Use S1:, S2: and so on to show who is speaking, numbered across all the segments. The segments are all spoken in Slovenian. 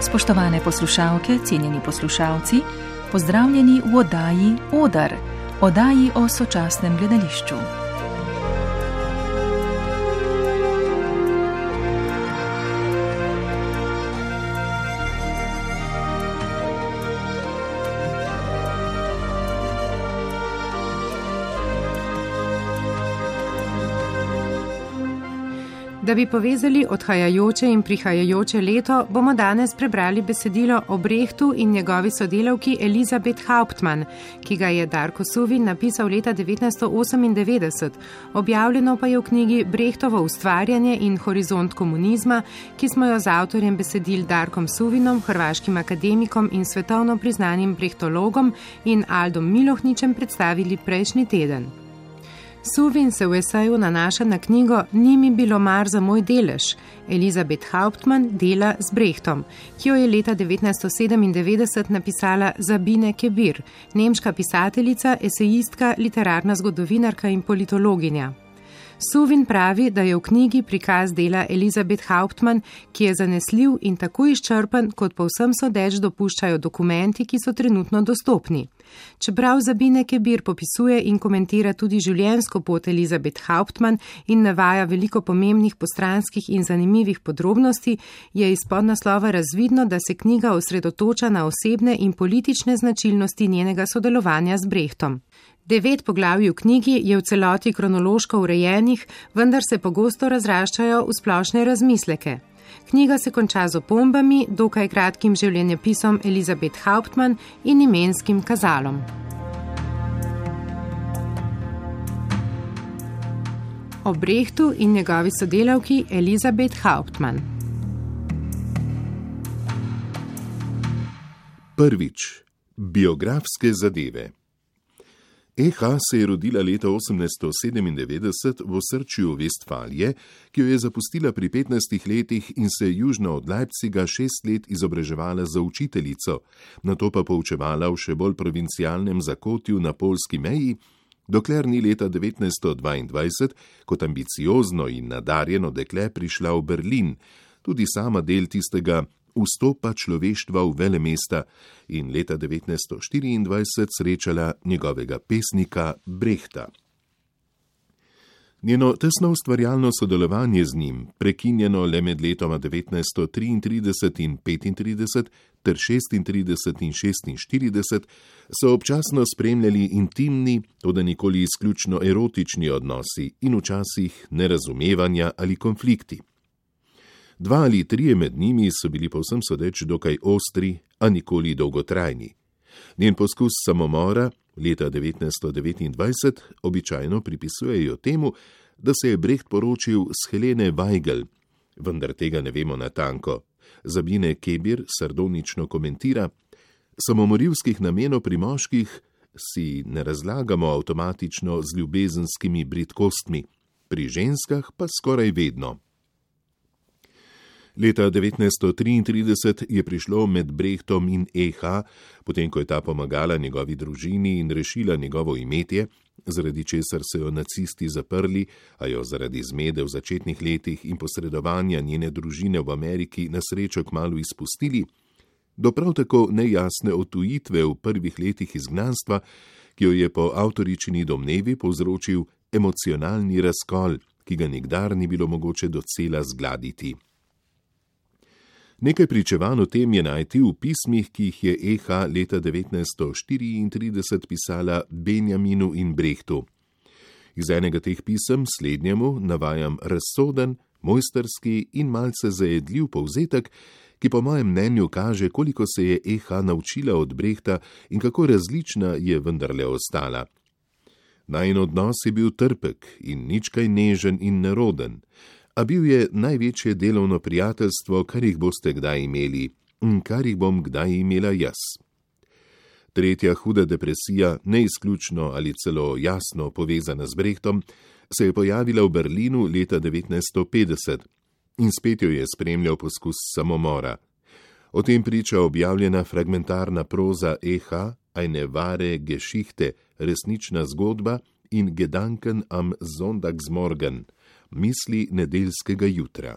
S1: Spoštovane poslušalke, cenjeni poslušalci, pozdravljeni v oddaji Odar, oddaji o sočasnem gledališču.
S2: Da bi povezali odhajajoče in prihajajoče leto, bomo danes prebrali besedilo o Brechtu in njegovi sodelavki Elisabeth Hauptmann, ki ga je Darko Suvin napisal leta 1998, objavljeno pa je v knjigi Brechtovo ustvarjanje in horizont komunizma, ki smo jo z avtorjem besedil Darkom Suvinom, hrvaškim akademikom in svetovno priznanim brehtologom in Aldom Milohničem predstavili prejšnji teden. Suvin se v eseju nanaša na knjigo Ni mi bilo mar za moj delež. Elisabeth Hauptmann dela z Brechtom, ki jo je leta 1997 napisala Sabine Kebir, nemška pisateljica, esejistka, literarna zgodovinarka in politologinja. Suvin pravi, da je v knjigi prikaz dela Elisabeth Hauptmann, ki je zanesljiv in tako izčrpen, kot povsem sodeč dopuščajo dokumenti, ki so trenutno dostopni. Čeprav Sabine Kebir popisuje in komentira tudi življenjsko pot Elisabeth Hauptmann in navaja veliko pomembnih postranskih in zanimivih podrobnosti, je iz podnaslova razvidno, da se knjiga osredotoča na osebne in politične značilnosti njenega sodelovanja z Brechtom. 9 poglavij v knjigi je v celoti kronološko urejenih, vendar se pogosto razraščajo v splošne razmisleke. Knjiga se konča z opombami, dokaj kratkim življenjepisom Elisabeth Hauptmann in imenskim kazalom. O Brechtu in njegovi sodelavki Elisabeth Hauptmann.
S3: Prvič. Biografske zadeve. E.H. se je rodila leta 1897 v osrčju Vestfalije, ki jo je zapustila pri 15 letih in se južno od Leipziga 6 let izobraževala za učiteljico, nato pa poučevala v še bolj provincialnem zakotju na poljski meji, dokler ni leta 1922 kot ambiciozno in nadarjeno dekle prišla v Berlin, tudi sama del tistega vstopa človeštva v velemesta in leta 1924 srečala njegovega pesnika Brechta. Njeno tesno ustvarjalno sodelovanje z njim, prekinjeno le med letoma 1933 in 35 ter 36 in 46, so občasno spremljali intimni, toda nikoli izključno erotični odnosi in včasih nerazumevanja ali konflikti. 2 ali 3 med njimi so bili povsem sodeč dokaj ostri, a nikoli dolgotrajni. Njen poskus samomora leta 1929 običajno pripisujejo temu, da se je Brecht poročil s Helene Weigel, vendar tega ne vemo natanko. Sabine Kebir sardonično komentira: samomorilskih namenov pri moških si ne razlagamo avtomatično z ljubezenskimi bridkostmi, pri ženskah pa skoraj vedno. Leta 1933 je prišlo med Brechtom in E.H., potem ko je ta pomagala njegovi družini in rešila njegovo imetje, zaradi česar so jo nacisti zaprli, a jo zaradi zmede v začetnih letih in posredovanja njene družine v Ameriki na srečo kmalu izpustili, do prav tako nejasne odtujitve v prvih letih izgnanstva, ki jo je po avtoričini domnevi povzročil emocionalni razkol, ki ga nikdar ni bilo mogoče docela zgladiti. Nekaj pričevanj o tem je najti v pismih, ki jih je E.H. leta 1934 pisala Benjaminu in Brechtu. Iz enega teh pisem slednjemu navajam razsoden, mojsterski in malce zajedljiv povzetek, ki po mojem mnenju kaže, koliko se je E.H. naučila od Brechta in kako različna je vendarle ostala. Najin odnos je bil trpek in nič kaj nežen in neroden, a bil je največje delovno prijateljstvo, kar jih boste kdaj imeli in kar jih bom kdaj imela jaz. Tretja huda depresija, neizključno ali celo jasno povezana z Brechtom, se je pojavila v Berlinu leta 1950 in spet jo je spremljal poskus samomora. O tem priča objavljena fragmentarna proza E.H. Eine wahre Geschichte, resnična zgodba in Gedanken am Sonntagsmorgen, misli nedeljskega jutra.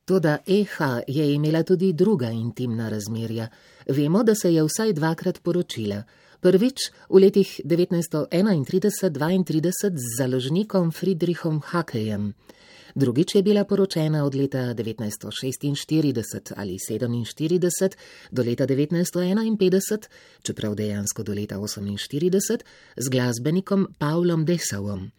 S4: Toda Eha je imela tudi druga intimna razmerja. Vemo, da se je vsaj dvakrat poročila. Prvič v letih 1931-32 z založnikom Friedrichom Hackejem. Drugič je bila poročena od leta 1946 ali 47 do leta 1951, čeprav dejansko do leta 48, z glasbenikom Pavlom Dessavom.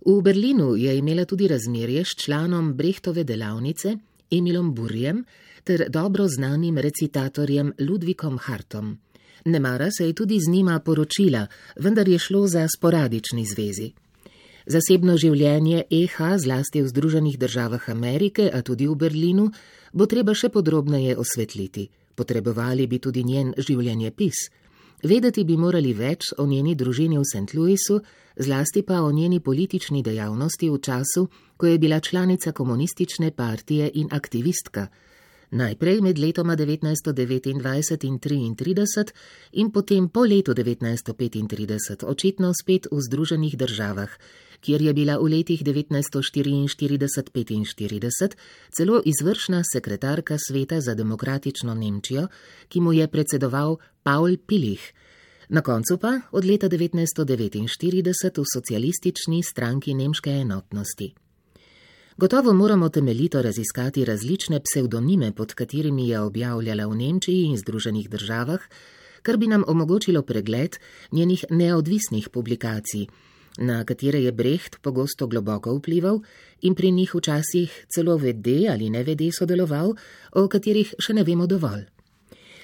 S4: V Berlinu je imela tudi razmerje s članom Brechtove delavnice Emilom Burjem ter dobro znanim recitatorjem Ludvikom Hartom. Nemara se je tudi z njima poročila, vendar je šlo za sporadični zvezi. Zasebno življenje Eha, zlasti v Združenih državah Amerike, a tudi v Berlinu, bo treba še podrobneje osvetliti. Potrebovali bi tudi njen življenjepis. Vedeti bi morali več o njeni družini v St. Louisu, zlasti pa o njeni politični dejavnosti v času, ko je bila članica komunistične partije in aktivistka. Najprej med letoma 1929 in 1933 in potem po letu 1935, očitno spet v Združenih državah, kjer je bila v letih 1944-45 celo izvršna sekretarka Sveta za demokratično Nemčijo, ki mu je predsedoval Paul Pilih. Na koncu pa od leta 1949 v socialistični stranki nemške enotnosti. Gotovo moramo temeljito raziskati različne psevdonime, pod katerimi je objavljala v Nemčiji in Združenih državah, kar bi nam omogočilo pregled njenih neodvisnih publikacij, na katere je Brecht pogosto globoko vplival in pri njih včasih celo vede ali nevede sodeloval, o katerih še ne vemo dovolj.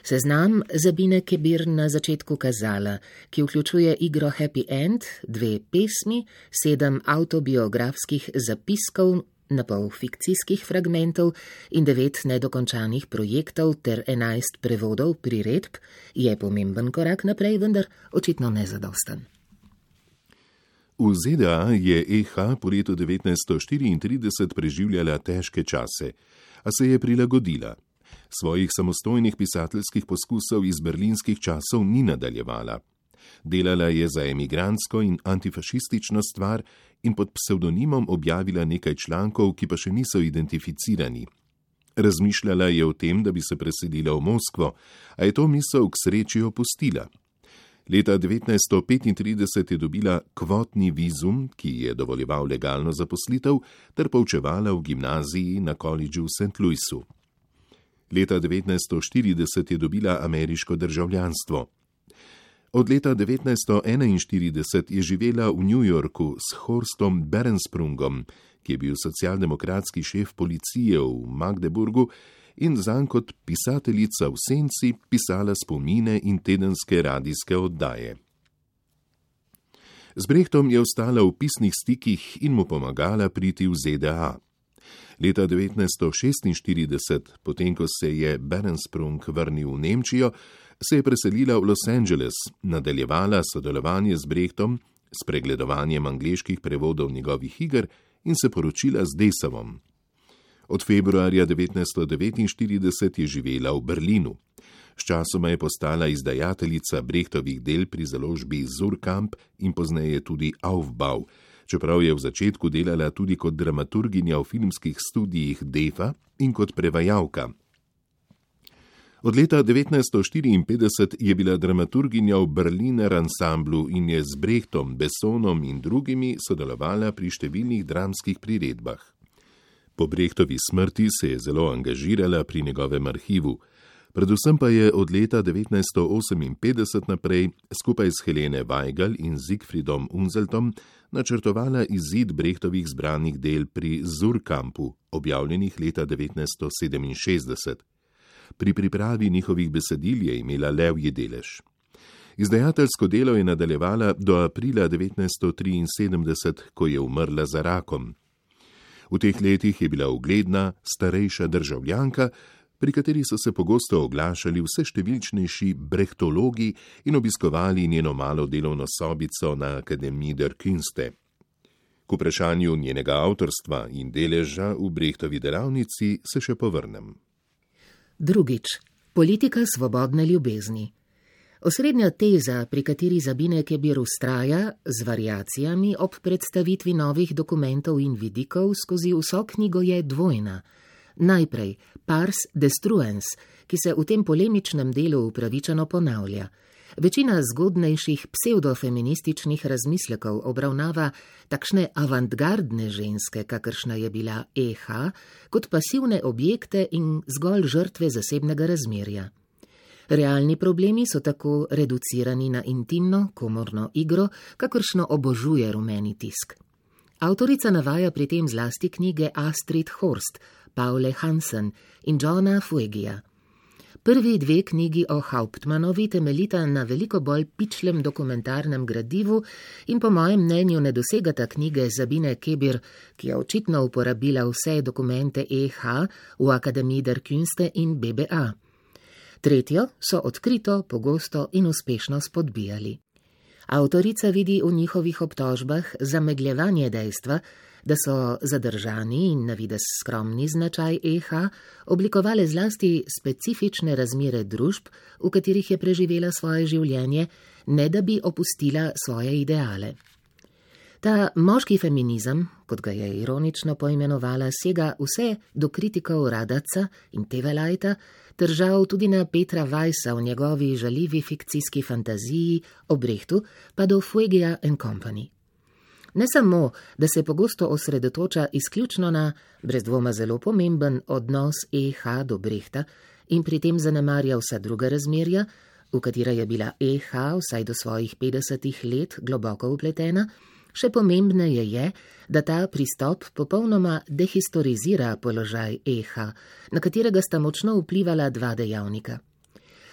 S4: Seznam Sabine Kebir na začetku kazala, ki vključuje igro Happy End, 2 pesmi, 7 avtobiografskih zapiskov, napol fikcijskih fragmentov in 9 nedokončanih projektov ter 11 prevodov priredb, je pomemben korak naprej, vendar očitno nezadosten.
S3: V ZDA je Eha po letu 1934 preživljala težke čase, a se je prilagodila. Svojih samostojnih pisateljskih poskusov iz berlinskih časov ni nadaljevala. Delala je za emigrantsko in antifašistično stvar in pod psevdonimom objavila nekaj člankov, ki pa še niso identificirani. Razmišljala je o tem, da bi se preselila v Moskvo, a je to misel k sreči opustila. Leta 1935 je dobila kvotni vizum, ki je dovoljeval legalno zaposlitev, ter poučevala v gimnaziji na koledžu v St. Louisu. Leta 1940 je dobila ameriško državljanstvo. Od leta 1941 je živela v New Yorku s Horstom Berensprungom, ki je bil socialdemokratski šef policije v Magdeburgu in zanj kot pisateljica v senci pisala spomine in tedenske radijske oddaje. Z Brechtom je ostala v pisnih stikih in mu pomagala priti v ZDA. Leta 1946, potem ko se je Berensprung vrnil v Nemčijo, se je preselila v Los Angeles, nadaljevala sodelovanje z Brechtom, s pregledovanjem angleških prevodov njegovih iger in se poročila z Dessavom. Od februarja 1949 je živela v Berlinu. Sčasoma je postala izdajateljica Brechtovih del pri založbi Surkamp in pozneje tudi Aufbau, čeprav je v začetku delala tudi kot dramaturginja v filmskih studijih Defa in kot prevajalka. Od leta 1954 je bila dramaturginja v Berliner ansamblu in je z Brechtom, Bessonom in drugimi sodelovala pri številnih dramskih priredbah. Po Brechtovi smrti se je zelo angažirala pri njegovem arhivu, predvsem pa je od leta 1958 naprej skupaj s Helene Weigel in Siegfriedom Unseltom načrtovala izid Brechtovih zbranih del pri Surkampu, objavljenih leta 1967. Pri pripravi njihovih besedil je imela levji delež. Izdajateljsko delo je nadaljevala do aprila 1973, ko je umrla za rakom. V teh letih je bila ugledna, starejša državljanka, pri kateri so se pogosto oglašali vse številčnejši brechtologi in obiskovali njeno malo delovno sobico na Akademiji der Künste. K vprašanju njenega avtorstva in deleža v Brechtovi delavnici se še povrnem.
S4: Drugič, politika svobodne ljubezni. Osrednja teza, pri kateri Sabine Kebir vztraja, z variacijami ob predstavitvi novih dokumentov in vidikov skozi vso knjigo je dvojna. Najprej pars destruens, ki se v tem polemičnem delu upravičeno ponavlja. Večina zgodnejših psevdofeminističnih razmislekov obravnava takšne avantgardne ženske, kakršna je bila E.H., kot pasivne objekte in zgolj žrtve zasebnega razmerja. Realni problemi so tako reducirani na intimno, komorno igro, kakršno obožuje rumeni tisk. Avtorica navaja pri tem zlasti knjige Astrid Horst, Paule Hansen in Johna Fuegija. Prvi dve knjigi o Hauptmannovi temeljita na veliko bolj pičlem dokumentarnem gradivu in po mojem mnenju ne dosegata knjige Sabine Kebir, ki je očitno uporabila vse dokumente E.H. v Akademiji der Künste in BBA. Tretjo so odkrito, pogosto in uspešno spodbijali. Avtorica vidi v njihovih obtožbah zamegljevanje dejstva, da so zadržani in na videz skromni značaj E.H. oblikovale zlasti specifične razmere družb, v katerih je preživela svoje življenje, ne da bi opustila svoje ideale. Ta moški feminizem, kot ga je ironično poimenovala, sega vse do kritikov Radaca in Tevelajta, ter žal tudi na Petra Weissa v njegovi žaljivi fikcijski fantaziji o Brechtu, pa do Fuegija & Company. Ne samo, da se pogosto osredotoča izključno na, brez dvoma zelo pomemben, odnos E.H. do Brechta in pri tem zanemarja vsa druga razmerja, v katera je bila E.H. vsaj do svojih 50 let globoko vpletena, še pomembneje je, da ta pristop popolnoma dehistorizira položaj E.H., na katerega sta močno vplivala dva dejavnika.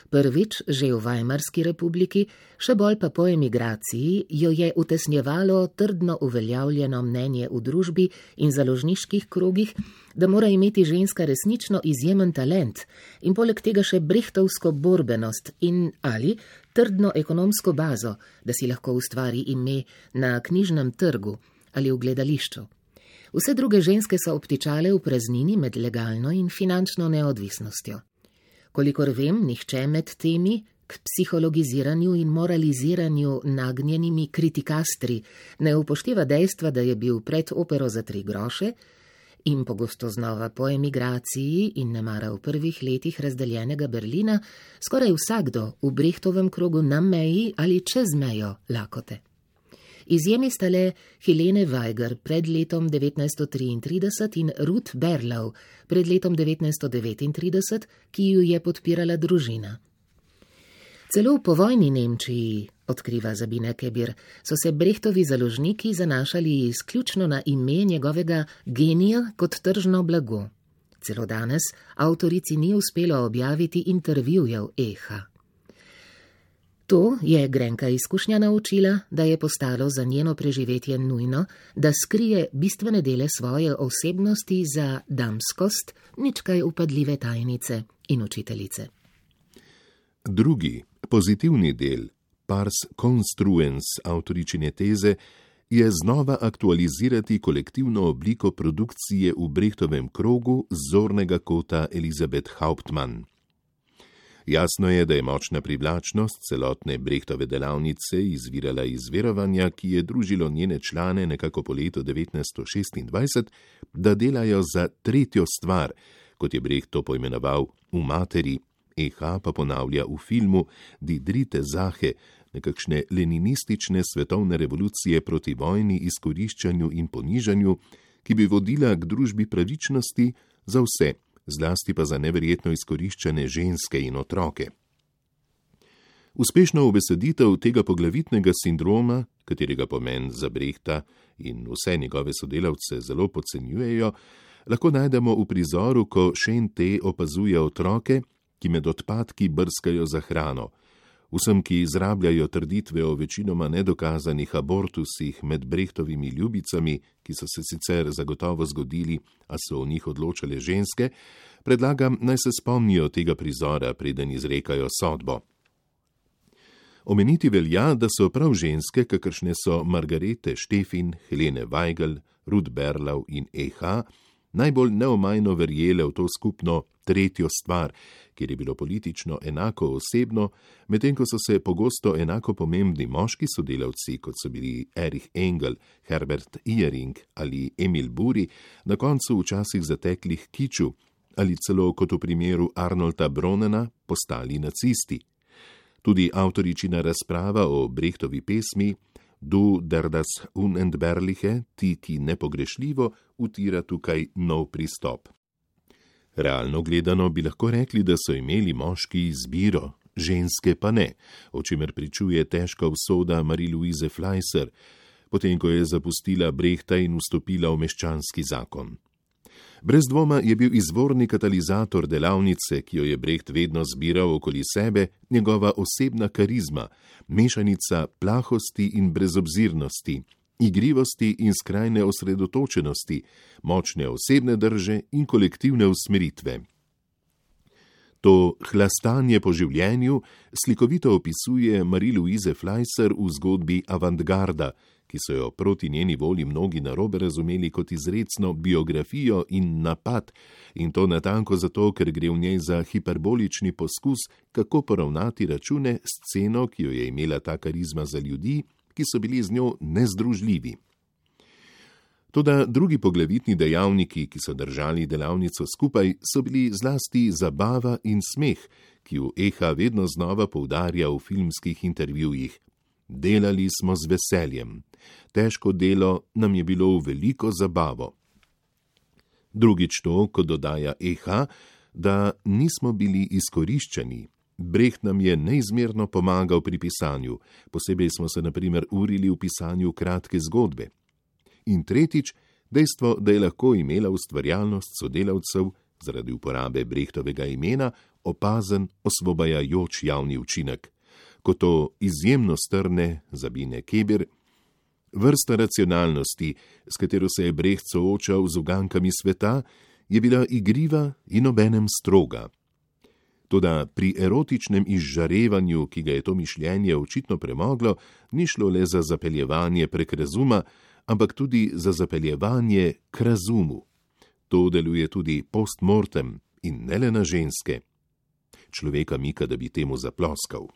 S4: Prvič, že v Weimarski republiki, še bolj pa po emigraciji, jo je utesnjevalo trdno uveljavljeno mnenje v družbi in založniških krogih, da mora imeti ženska resnično izjemen talent in poleg tega še brechtovsko borbenost in ali trdno ekonomsko bazo, da si lahko ustvari ime na knjižnem trgu ali v gledališču. Vse druge ženske so obtičale v praznini med legalno in finančno neodvisnostjo. Kolikor vem, nihče med temi k psihologiziranju in moraliziranju nagnjenimi kritikastri ne upošteva dejstva, da je bil pred opero za 3 groše in pogosto znova po emigraciji in nemara v prvih letih razdeljenega Berlina skoraj vsakdo v Brechtovem krogu na meji ali čez mejo lakote. Izjemi sta le Helene Weiger pred letom 1933 in Ruth Berlau pred letom 1939, ki ju je podpirala družina. Celo v povojni Nemčiji, odkriva Sabine Kebir, so se Brechtovi založniki zanašali izključno na ime njegovega genija kot tržno blago. Celo danes avtorici ni uspelo objaviti intervjujev E.H. To je grenka izkušnja naučila, da je postalo za njeno preživetje nujno, da skrije bistvene dele svoje osebnosti za damskost, nič kaj upadljive tajnice in učiteljice.
S3: Drugi, pozitivni del, pars construens avtoričine teze, je znova aktualizirati kolektivno obliko produkcije v Brechtovem krogu z zornega kota Elisabeth Hauptmann. Jasno je, da je močna privlačnost celotne Brechtove delavnice izvirala iz verovanja, ki je družilo njene člane nekako po letu 1926, da delajo za tretjo stvar, kot je Brecht to poimenoval, v materi. E.H. pa ponavlja v filmu Die dritte Sache, nekakšne leninistične svetovne revolucije proti vojni, izkoriščanju in ponižanju, ki bi vodila k družbi pravičnosti za vse, zlasti pa za neverjetno izkoriščane ženske in otroke. Uspešno ubeseditev tega poglavitnega sindroma, katerega pomen za Brechta in vse njegove sodelavce zelo podcenjujejo, lahko najdemo v prizoru, ko Shane opazuje otroke, ki med odpadki brskajo za hrano. Vsem, ki izrabljajo trditve o večinoma nedokazanih abortusih med Brechtovimi ljubicami, ki so se sicer zagotovo zgodili, a so o njih odločale ženske, predlagam, naj se spomnijo tega prizora, preden izrekajo sodbo. Omeniti velja, da so prav ženske, kakršne so Margarete Steffin, Helene Weigel, Ruth Berlau in E.H., najbolj neomajno verjele v to skupno tretjo stvar, kjer je bilo politično enako osebno, medtem ko so se pogosto enako pomembni moški sodelavci, kot so bili Erich Engel, Herbert Ihering ali Emil Buri, na koncu včasih zatekli k kiču, ali celo, kot v primeru Arnolda Bronena, postali nacisti. Tudi avtoričina razprava o Brechtovi pesmi Du der das Unentbehrliche, ti nepogrešljivo, utira tukaj nov pristop. Realno gledano bi lahko rekli, da so imeli moški izbiro, ženske pa ne, o čemer pričuje težka usoda Marie-Louise Fleischer, potem ko je zapustila Brechta in vstopila v meščanski zakon. Brez dvoma je bil izvorni katalizator delavnice, ki jo je Brecht vedno zbiral okoli sebe, njegova osebna karizma, mešanica plahosti in brezobzirnosti, igrivosti in skrajne osredotočenosti, močne osebne drže in kolektivne usmeritve. To hlastanje po življenju slikovito opisuje Marie-Louise Fleischer v zgodbi Avantgarda, ki so jo proti njeni volji mnogi narobe razumeli kot izrecno biografijo in napad, in to natanko zato, ker gre v njej za hiperbolični poskus, kako poravnati račune s sceno, ki jo je imela ta karizma za ljudi, ki so bili z njo nezdružljivi. Toda drugi poglavitni dejavniki, ki so držali delavnico skupaj, so bili zlasti zabava in smeh, ki jo Eha vedno znova poudarja v filmskih intervjujih. Delali smo z veseljem. Težko delo nam je bilo v veliko zabavo. Drugič to, kot dodaja Eha, da nismo bili izkoriščeni. Brecht nam je neizmerno pomagal pri pisanju, posebej smo se na primer urili v pisanju kratke zgodbe. In tretjič, dejstvo, da je lahko imela ustvarjalnost sodelavcev zaradi uporabe Brechtovega imena opazen, osvobajajoč javni učinek. Kot to izjemno strne Sabine Keber, vrsta racionalnosti, s katero se je Brecht soočal z ugankami sveta, je bila igriva in obenem stroga. Toda pri erotičnem izžarevanju, ki ga je to mišljenje očitno premoglo, ni šlo le za zapeljevanje prek razuma, ampak tudi za zapeljevanje k razumu. To deluje tudi postmortem in ne le na ženske. Človeka mika, da bi temu zaploskal.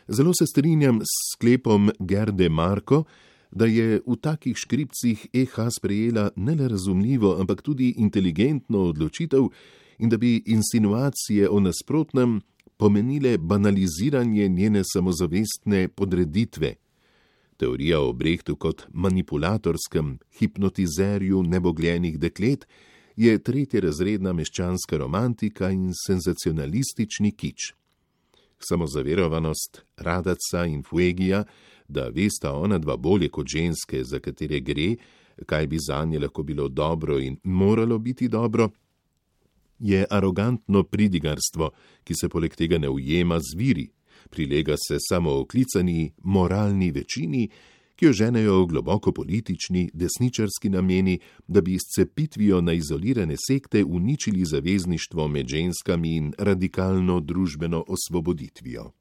S3: Zelo se strinjam s sklepom Gerde Marko, da je v takih škripcih Eha sprejela ne le razumljivo, ampak tudi inteligentno odločitev in da bi insinuacije o nasprotnem pomenile banaliziranje njene samozavestne podreditve. Teorija o Brechtu kot manipulatorskem hipnotizerju nebogljenih deklet je tretjerazredna meščanska romantika in senzacionalistični kič. Samozaverovanost Radaca in Fuegija, da vesta ona dva bolje kot ženske, za katere gre, kaj bi zanje lahko bilo dobro in moralo biti dobro, je arogantno pridigarstvo, ki se poleg tega ne ujema z viri, prilega se samooklicani moralni večini, ki jo ženejo globoko politični, desničarski nameni, da bi s cepitvijo na izolirane sekte uničili zavezništvo med ženskami in radikalno družbeno osvoboditvijo.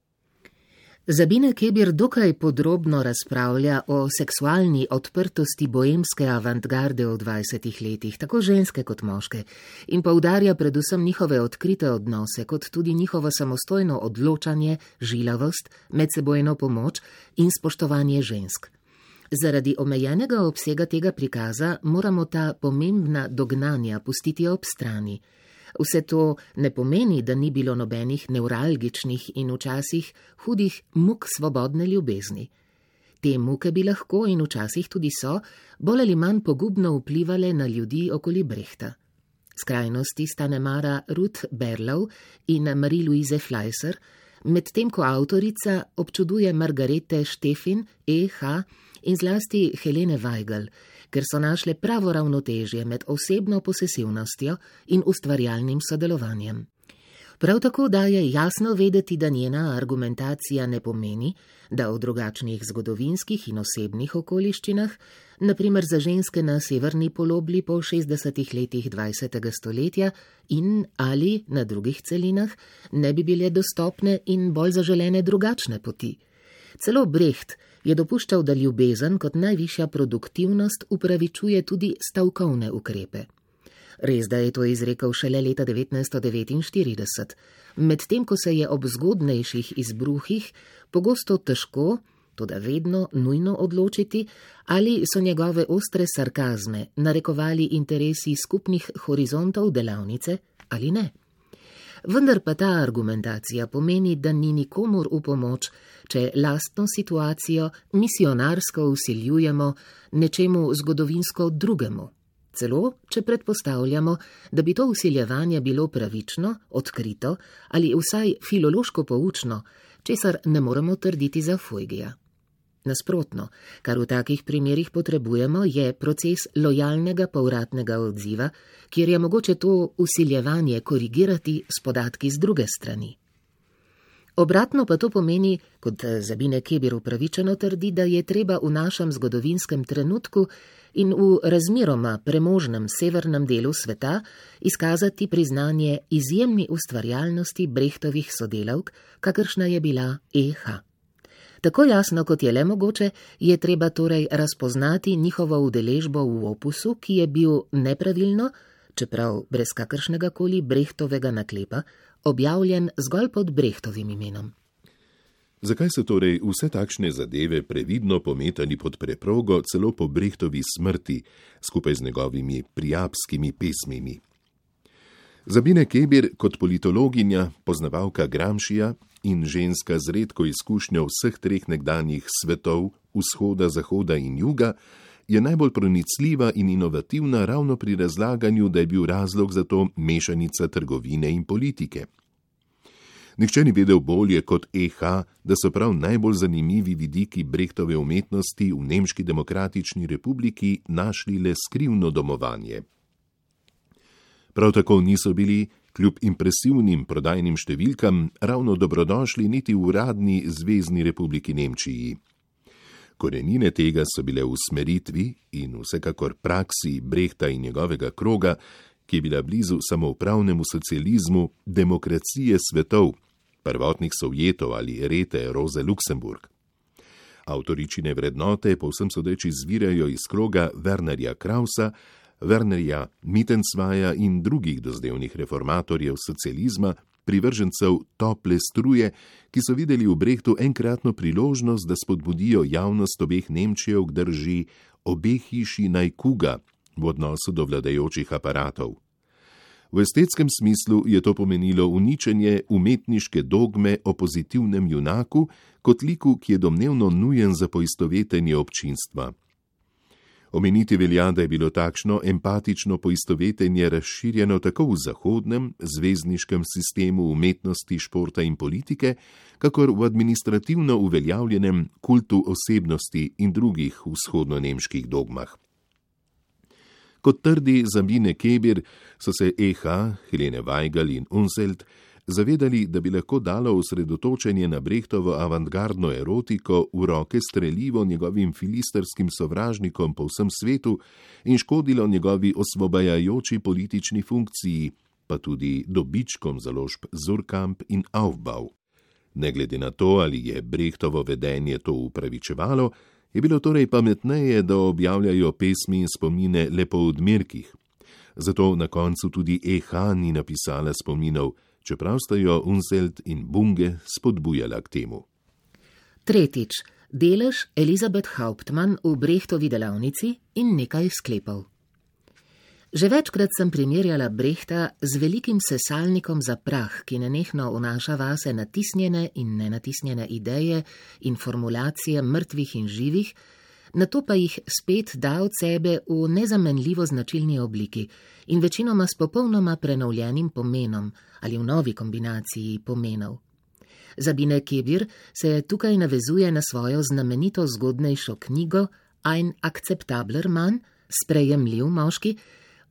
S4: Sabine Keber dokaj podrobno razpravlja o seksualni odprtosti boemske avantgarde v 20. letih, tako ženske kot moške, in poudarja predvsem njihove odkrite odnose, kot tudi njihovo samostojno odločanje, žilavost, medsebojno pomoč in spoštovanje žensk. Zaradi omejenega obsega tega prikaza moramo ta pomembna dognanja pustiti ob strani. Vse to ne pomeni, da ni bilo nobenih nevralgičnih in včasih hudih muk svobodne ljubezni. Te muke bi lahko in včasih tudi so bolj ali manj pogubno vplivale na ljudi okoli Brechta. Skrajnosti sta nemara Ruth Berlau in Marie-Louise Fleischer, medtem ko avtorica občuduje Margarete Steffin, E.H. in zlasti Helene Weigel, ker so našle pravo ravnotežje med osebno posesivnostjo in ustvarjalnim sodelovanjem. Prav tako daje jasno vedeti, da njena argumentacija ne pomeni, da v drugačnih zgodovinskih in osebnih okoliščinah, naprimer za ženske na severni polobli po 60. letih 20. stoletja in ali na drugih celinah, ne bi bile dostopne in bolj zaželene drugačne poti. Celo Brecht je dopuščal, da ljubezen kot najvišja produktivnost upravičuje tudi stavkovne ukrepe. Res, da je to izrekel šele leta 1949, medtem ko se je ob zgodnejših izbruhih pogosto težko toda vedno nujno odločiti, ali so njegove ostre sarkazme narekovali interesi skupnih horizontov delavnice ali ne. Vendar pa ta argumentacija pomeni, da ni nikomur v pomoč, če lastno situacijo misionarsko vsiljujemo nečemu zgodovinsko drugemu. Celo, če predpostavljamo, da bi to vsiljevanje bilo pravično, odkrito ali vsaj filološko poučno, česar ne moremo trditi za Fuegija. Nasprotno, kar v takih primerih potrebujemo, je proces lojalnega povratnega odziva, kjer je mogoče to vsiljevanje korigirati s podatki z druge strani. Obratno pa to pomeni, kot Sabine Kebir upravičeno trdi, da je treba v našem zgodovinskem trenutku in v razmeroma premožnem severnem delu sveta izkazati priznanje izjemni ustvarjalnosti Brechtovih sodelavk, kakršna je bila E.H. Tako jasno, kot je le mogoče, je treba torej razpoznati njihovo udeležbo v opusu, ki je bil nepravilno, čeprav brez kakršnega koli Brechtovega naklepa, objavljen zgolj pod Brechtovim imenom.
S3: Zakaj so torej vse takšne zadeve previdno pometali pod preprogo celo po Brechtovi smrti, skupaj z njegovimi prijapskimi pesmimi? Sabine Kebir kot politologinja, poznavalka Gramscija in ženska z redko izkušnjo vseh treh nekdanjih svetov, vzhoda, zahoda in juga, je najbolj pronicljiva in inovativna ravno pri razlaganju, da je bil razlog za to mešanica trgovine in politike. Nihče ni vedel bolje kot E.H., da so prav najbolj zanimivi vidiki Brechtove umetnosti v Nemški demokratični republiki našli le skrivno domovanje. Prav tako niso bili, kljub impresivnim prodajnim številkam, ravno dobrodošli niti v uradni Zvezni republiki Nemčiji. Korenine tega so bile v usmeritvi in vsekakor praksi Brechta in njegovega kroga, ki je bila blizu samoupravnemu socializmu, demokracije svetov, prvotnih Sovjetov ali Rete Roze Luxemburg. Avtoričine vrednote povsem sodeč izvirajo iz kroga Wernerja Krausa, Wernerja Mittenzweia in drugih dozdevnih reformatorjev socializma, privržencev tople struje, ki so videli v Brechtu enkratno priložnost, da spodbudijo javnost obeh Nemčijev k drži obe hiši naj kuga v odnosu do vladajočih aparatov. V estetskem smislu je to pomenilo uničenje umetniške dogme o pozitivnem junaku kot liku, ki je domnevno nujen za poistovetenje občinstva. Omeniti velja, da je bilo takšno empatično poistovetenje razširjeno tako v zahodnem, zvezdniškem sistemu umetnosti, športa in politike, kakor v administrativno uveljavljenem kultu osebnosti in drugih vzhodno-nemških dogmah. Kot trdi Sabine Kebir, so se E.H., Helene Weigel in Unseld zavedali, da bi lahko dalo osredotočenje na Brechtovo avantgardno erotiko v roke strelivo njegovim filisterskim sovražnikom po vsem svetu in škodilo njegovi osvobajajoči politični funkciji, pa tudi dobičkom založb Surkamp in Aufbau. Ne glede na to, ali je Brechtovo vedenje to upravičevalo, je bilo torej pametneje, da objavljajo pesmi in spomine le po odmerkih. Zato na koncu tudi E.H. ni napisala spominov, čeprav sta jo Unseld in Bunge spodbujala k temu.
S4: Tretjič, delež Elisabeth Hauptmann v Brechtovi delavnici in nekaj sklepov. Že večkrat sem primerjala Brechta z velikim sesalnikom za prah, ki nenehno vnaša vase natisnjene in nenatisnjene ideje in formulacije mrtvih in živih, nato pa jih spet da od sebe v nezamenljivo značilni obliki in večinoma s popolnoma prenovljenim pomenom ali v novi kombinaciji pomenov. Sabine Kebir se tukaj navezuje na svojo znamenito zgodnejšo knjigo Ein akceptabler Mann, sprejemljiv moški,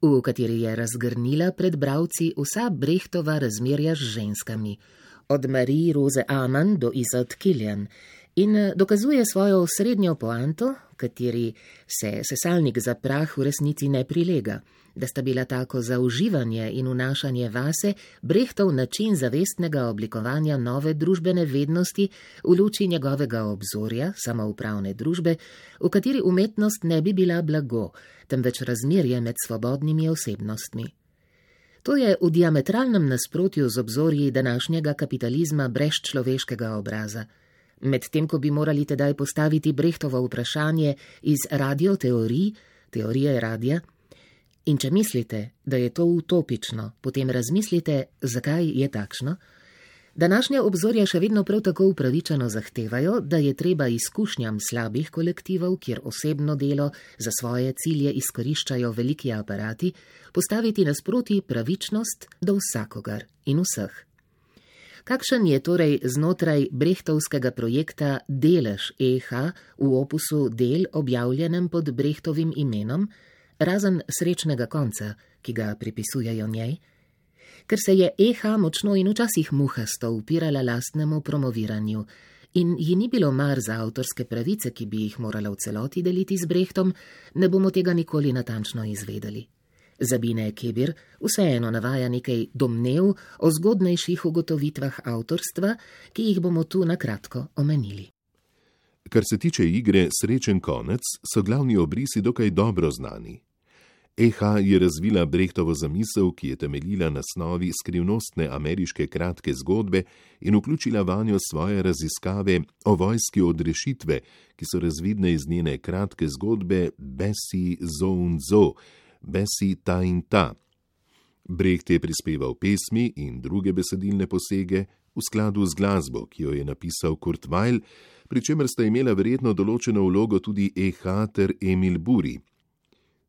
S4: v kateri je razgrnila pred bralci vsa Brechtova razmerja z ženskami, od Marie Rose Amann do Isolde Kilian, in dokazuje svojo osrednjo poanto, kateri se sesalnik za prah v resnici ne prilega, da sta bila tako za uživanje in vnašanje vase Brechtov način zavestnega oblikovanja nove družbene vednosti v luči njegovega obzorja, samoupravne družbe, v kateri umetnost ne bi bila blago, temveč razmerje med svobodnimi osebnostmi. To je v diametralnem nasprotju z obzorji današnjega kapitalizma brez človeškega obraza, medtem ko bi morali tedaj postaviti Brechtovo vprašanje iz radioteorij, teorije radia. In če mislite, da je to utopično, potem razmislite, zakaj je takšno. Današnja obzorja še vedno prav tako upravičeno zahtevajo, da je treba izkušnjam slabih kolektivov, kjer osebno delo za svoje cilje izkoriščajo veliki aparati, postaviti nasproti pravičnost do vsakogar in vseh. Kakšen je torej znotraj brechtovskega projekta delež EH v opusu del objavljenem pod Brechtovim imenom, razen srečnega konca, ki ga pripisujejo njej? Ker se je EH močno in včasih muhasto upirala lastnemu promoviranju in ji ni bilo mar za avtorske pravice, ki bi jih morala v celoti deliti z Brechtom, ne bomo tega nikoli natančno izvedeli. Sabine Kebir vseeno navaja nekaj domnev o zgodnejših ugotovitvah avtorstva, ki jih bomo tu na kratko omenili.
S3: Kar se tiče igre Srečen konec, so glavni obrisi dokaj dobro znani. EH je razvila Brechtovo zamisel, ki je temeljila na snovi skrivnostne ameriške kratke zgodbe in vključila vanjo svoje raziskave o vojski odrešitve, ki so razvidne iz njene kratke zgodbe Bessie zo und zo, Bessie ta in ta. Brecht je prispeval pesmi in druge besedilne posege v skladu z glasbo, ki jo je napisal Kurt Weill, pri čemer sta imela verjetno določeno vlogo tudi EH ter Emil Buri.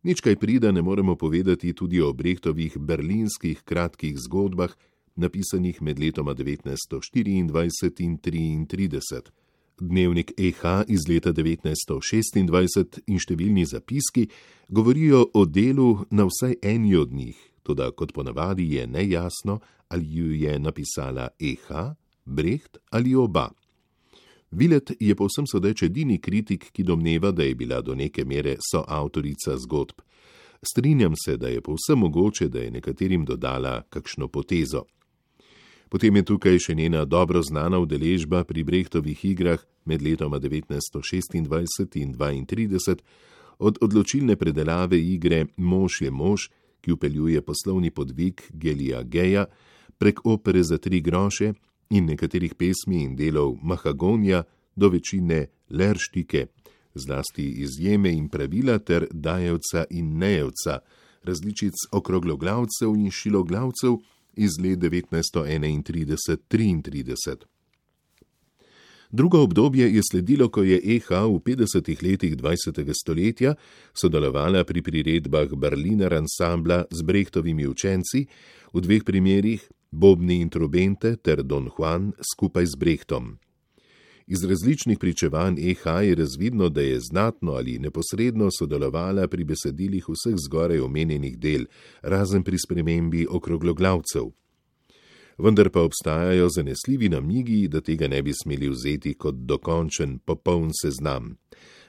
S3: Nič kaj prida ne moremo povedati tudi o Brechtovih berlinskih kratkih zgodbah, napisanih med letoma 1924 in 1933. Dnevnik EH iz leta 1926 in številni zapiski govorijo o delu na vsaj eni od njih, toda kot ponavadi je nejasno, ali ju je napisala EH, Brecht ali oba. Willet je povsem sodeč edini kritik, ki domneva, da je bila do neke mere soavtorica zgodb. Strinjam se, da je povsem mogoče, da je nekaterim dodala kakšno potezo. Potem je tukaj še njena dobro znana udeležba pri Brechtovih igrah med letoma 1926 in 1932, od odločilne predelave igre Mož je mož, ki vpeljuje poslovni podvig Gelija Geja, prek opere za 3 groše, in nekaterih pesmi in delov Mahagonija do večine Lerštike, zlasti izjeme in pravila ter Dajevca in Nejevca, različic Okrogloglavcev in Šiloglavcev iz let 1931-33. Drugo obdobje je sledilo, ko je EH v 50. letih 20. stoletja sodelovala pri priredbah Berliner ansambla z Brechtovimi učenci, v 2 primerih Bobni in trobente ter Don Juan skupaj z Brechtom. Iz različnih pričevanj EH je razvidno, da je znatno ali neposredno sodelovala pri besedilih vseh zgoraj omenjenih del, razen pri spremembi Okrogloglavcev. Vendar pa obstajajo zanesljivi namigi, da tega ne bi smeli vzeti kot dokončen, popoln seznam.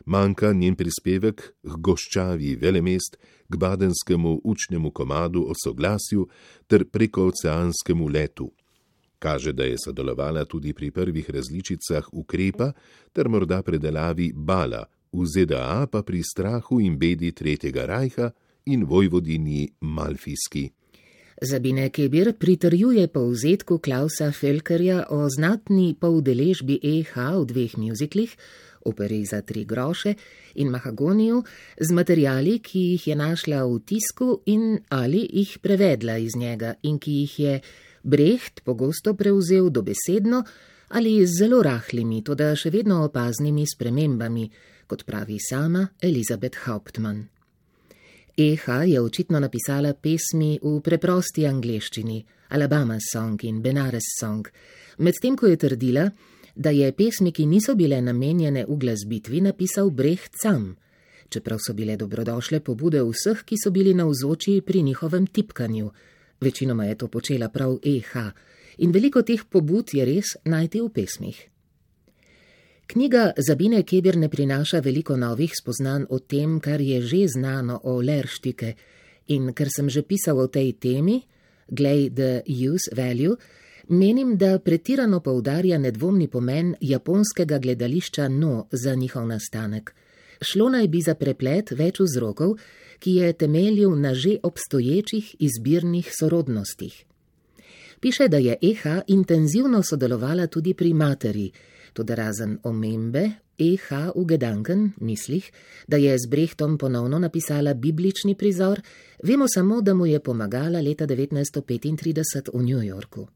S3: Manjka njen prispevek k Goščavi velemest, k badenskemu učnemu komadu o soglasju ter prekooceanskemu letu. Kaže, da je sodelovala tudi pri prvih različicah Ukrepa ter morda predelavi Bala, v ZDA pa pri Strahu in bedi Tretjega rajha in Vojvodinji Malfijski.
S4: Sabine Kebir pritrjuje povzetku Klausa Felkerja o znatni poudeležbi EH v 2 mjuziklih, operi za 3 groše in Mahagoniju, z materiali, ki jih je našla v tisku in ali jih prevedla iz njega in ki jih je Brecht pogosto prevzel dobesedno ali z zelo rahlimi, toda še vedno opaznimi spremembami, kot pravi sama Elisabeth Hauptmann. EH je očitno napisala pesmi v preprosti angleščini, Alabama Song in Benares Song, medtem ko je trdila, da je pesmi, ki niso bile namenjene uglasbitvi, napisal Brecht sam, čeprav so bile dobrodošle pobude vseh, ki so bili navzoči pri njihovem tipkanju. Večinoma je to počela prav EH in veliko teh pobud je res najti v pesmih. Knjiga Sabine Kebir ne prinaša veliko novih spoznanj o tem, kar je že znano o Lerštike, in ker sem že pisal o tej temi, glej the use value, menim, da pretirano poudarja nedvomni pomen japonskega gledališča No za njihov nastanek. Šlo naj bi za preplet več vzrokov, ki je temeljil na že obstoječih izbirnih sorodnostih. Piše, da je EH intenzivno sodelovala tudi pri materi, Toda razen omembe, E.H. v Gedanken, mislih, da je z Brechtom ponovno napisala biblični prizor, vemo samo, da mu je pomagala leta 1935 v New Yorku.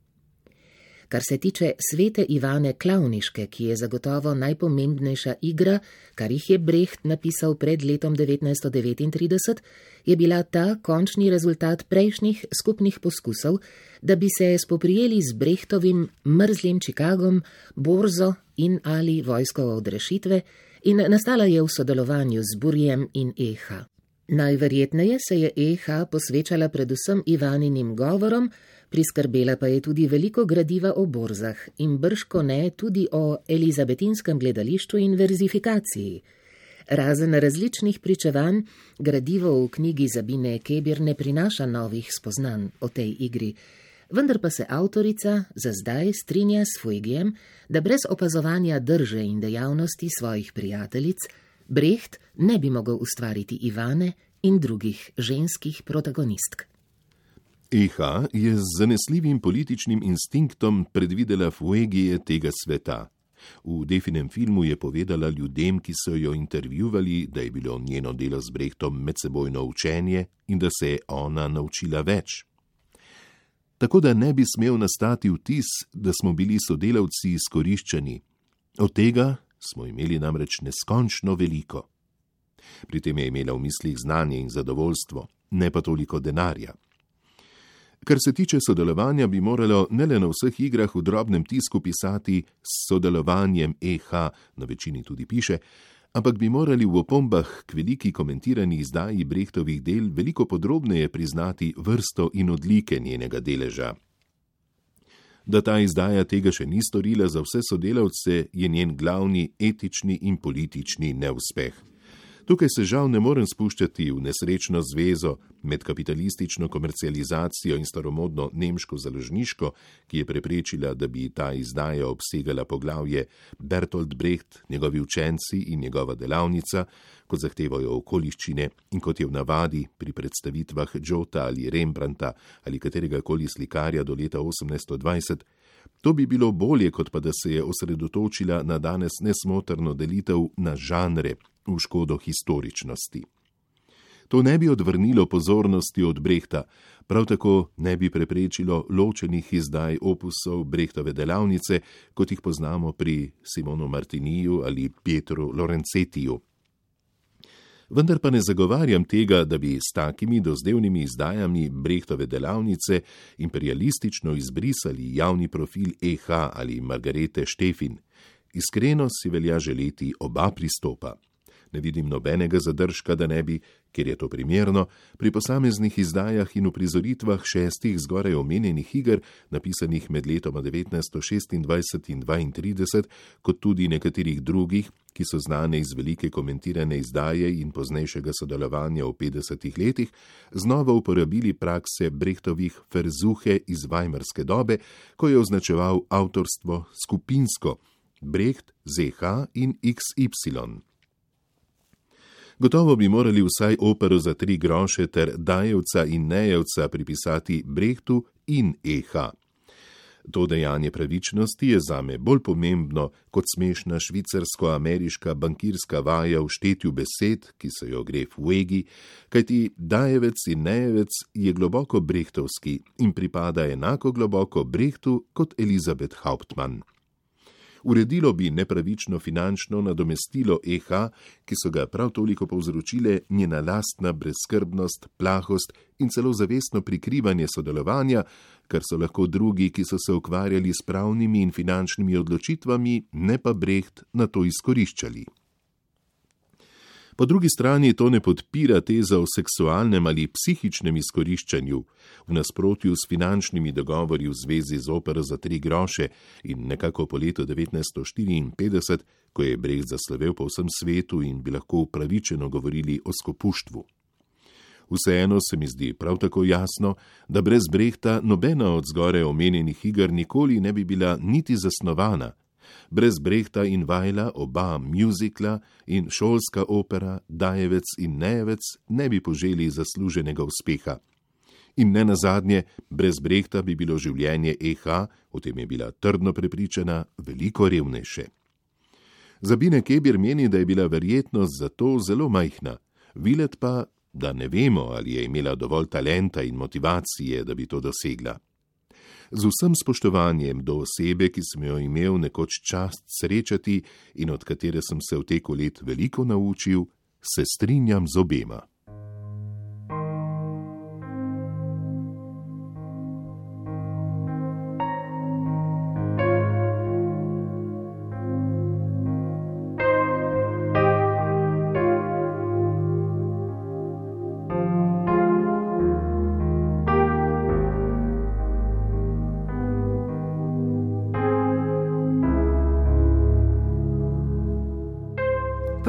S4: Kar se tiče Svete Ivane Klavniške, ki je zagotovo najpomembnejša igra, kar jih je Brecht napisal pred letom 1939, je bila ta končni rezultat prejšnjih skupnih poskusov, da bi se spoprijeli z Brechtovim mrzlim Chicagom, borzo in ali vojsko odrešitve, in nastala je v sodelovanju z Burjem in E.H. Najverjetneje se je E.H. posvečala predvsem Ivaninim govorom, priskrbela pa je tudi veliko gradiva o borzah in bržko ne tudi o elizabetinskem gledališču in verzifikaciji. Razen različnih pričevanj, gradivo v knjigi Sabine Kebir ne prinaša novih spoznanj o tej igri, vendar pa se avtorica za zdaj strinja s Fuegijem, da brez opazovanja drže in dejavnosti svojih prijateljic Brecht ne bi mogel ustvariti Ivane in drugih ženskih protagonistk.
S3: E.H. je z zanesljivim političnim instinktom predvidela Fuegije tega sveta. V Definem filmu je povedala ljudem, ki so jo intervjuvali, da je bilo njeno delo z Brechtom medsebojno učenje in da se je ona naučila več. Tako da ne bi smel nastati vtis, da smo bili sodelavci izkoriščeni. Od tega smo imeli namreč neskončno veliko. Pri tem je imela v mislih znanje in zadovoljstvo, ne pa toliko denarja. Kar se tiče sodelovanja, bi moralo ne le na vseh igrah v drobnem tisku pisati s sodelovanjem E.H., na večini tudi piše, ampak bi morali v opombah k veliki komentirani izdaji Brechtovih del veliko podrobneje priznati vrsto in odlike njenega deleža. Da ta izdaja tega še ni storila za vse sodelavce, je njen glavni etični in politični neuspeh. Tukaj se žal ne morem spuščati v nesrečno zvezo med kapitalistično komercializacijo in staromodno nemško založniško, ki je preprečila, da bi ta izdaja obsegala poglavje Bertolt Brecht, njegovi učenci in njegova delavnica, kot zahtevajo okoliščine in kot je v navadi pri predstavitvah Jota ali Rembrandta ali kateregakoli slikarja do leta 1820. To bi bilo bolje, kot pa da se je osredotočila na danes nesmotrno delitev na žanre v škodo historičnosti. To ne bi odvrnilo pozornosti od Brechta, prav tako ne bi preprečilo ločenih izdaj opusov Brechtove delavnice, kot jih poznamo pri Simonu Martiniju ali Pietru Lorenzetiju. Vendar pa ne zagovarjam tega, da bi s takimi dozdevnimi izdajami Brechtove delavnice imperialistično izbrisali javni profil E.H. ali Margarete Štefin. Iskreno si velja želeti oba pristopa. Ne vidim nobenega zadržka, da ne bi, ker je to primerno, pri posameznih izdajah in uprizoritvah 6 zgoraj omenjenih iger, napisanih med letoma 1926 in 1932, kot tudi nekaterih drugih, ki so znane iz velike komentirane izdaje in poznejšega sodelovanja v 50 letih, znova uporabili prakse Brechtovih Versuche iz Weimarske dobe, ko je označeval avtorstvo skupinsko, Brecht, Z.H. in XY. Gotovo bi morali vsaj opero za 3 groše ter Dajevca in Nejevca pripisati Brechtu in E.H. To dejanje pravičnosti je zame bolj pomembno kot smešna švicarsko-ameriška bankirska vaja v štetju besed, ki se jo gre Fuegi, kajti Dajevec in Nejevec je globoko brechtovski in pripada enako globoko Brechtu kot Elisabeth Hauptmann. Uredilo bi nepravično finančno nadomestilo E.H., ki so ga prav toliko povzročile njena lastna brezskrbnost, plahost in celo zavestno prikrivanje sodelovanja, kar so lahko drugi, ki so se ukvarjali s pravnimi in finančnimi odločitvami, ne pa Brecht, na to izkoriščali. Po drugi strani to ne podpira teza o seksualnem ali psihičnem izkoriščanju, v nasprotju s finančnimi dogovori v zvezi z opero za 3 groše in nekako po letu 1954, ko je Brecht zaslovel po vsem svetu in bi lahko upravičeno govorili o skopuštvu. Vseeno se mi zdi prav tako jasno, da brez Brechta nobena od zgoraj omenjenih iger nikoli ne bi bila niti zasnovana. Brez Brechta in Weila oba mjuzikla in šolska opera Dajevec in Nejevec ne bi poželi zasluženega uspeha. In ne nazadnje, brez Brechta bi bilo življenje E.H., o tem je bila trdno prepričana, veliko revnejše. Zabine Kebir meni, da je bila verjetnost za to zelo majhna, Vilet pa, da ne vemo, ali je imela dovolj talenta in motivacije, da bi to dosegla. Z vsem spoštovanjem do osebe, ki sem jo imel nekoč čast srečati in od katere sem se v teku let veliko naučil, se strinjam z obema.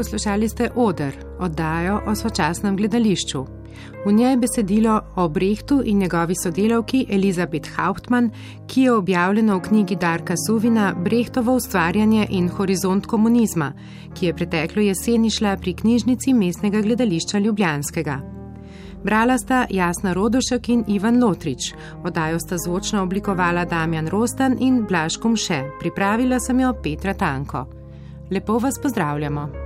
S2: Poslušali ste Oder, oddajo o sočasnem gledališču. V njej besedilo o Brechtu in njegovi sodelavki Elisabeth Hauptmann, ki je objavljeno v knjigi Darka Suvina Brechtovo ustvarjanje in horizont komunizma, ki je preteklo jeseni šla pri knjižnici Mestnega gledališča Ljubljanskega. Brala sta Jasna Rodošek in Ivan Lotrič, oddajo sta zvočno oblikovala Damjan Rostan in Blaž Kumše, pripravila sem jo Petra Tanko. Lepo vas pozdravljamo.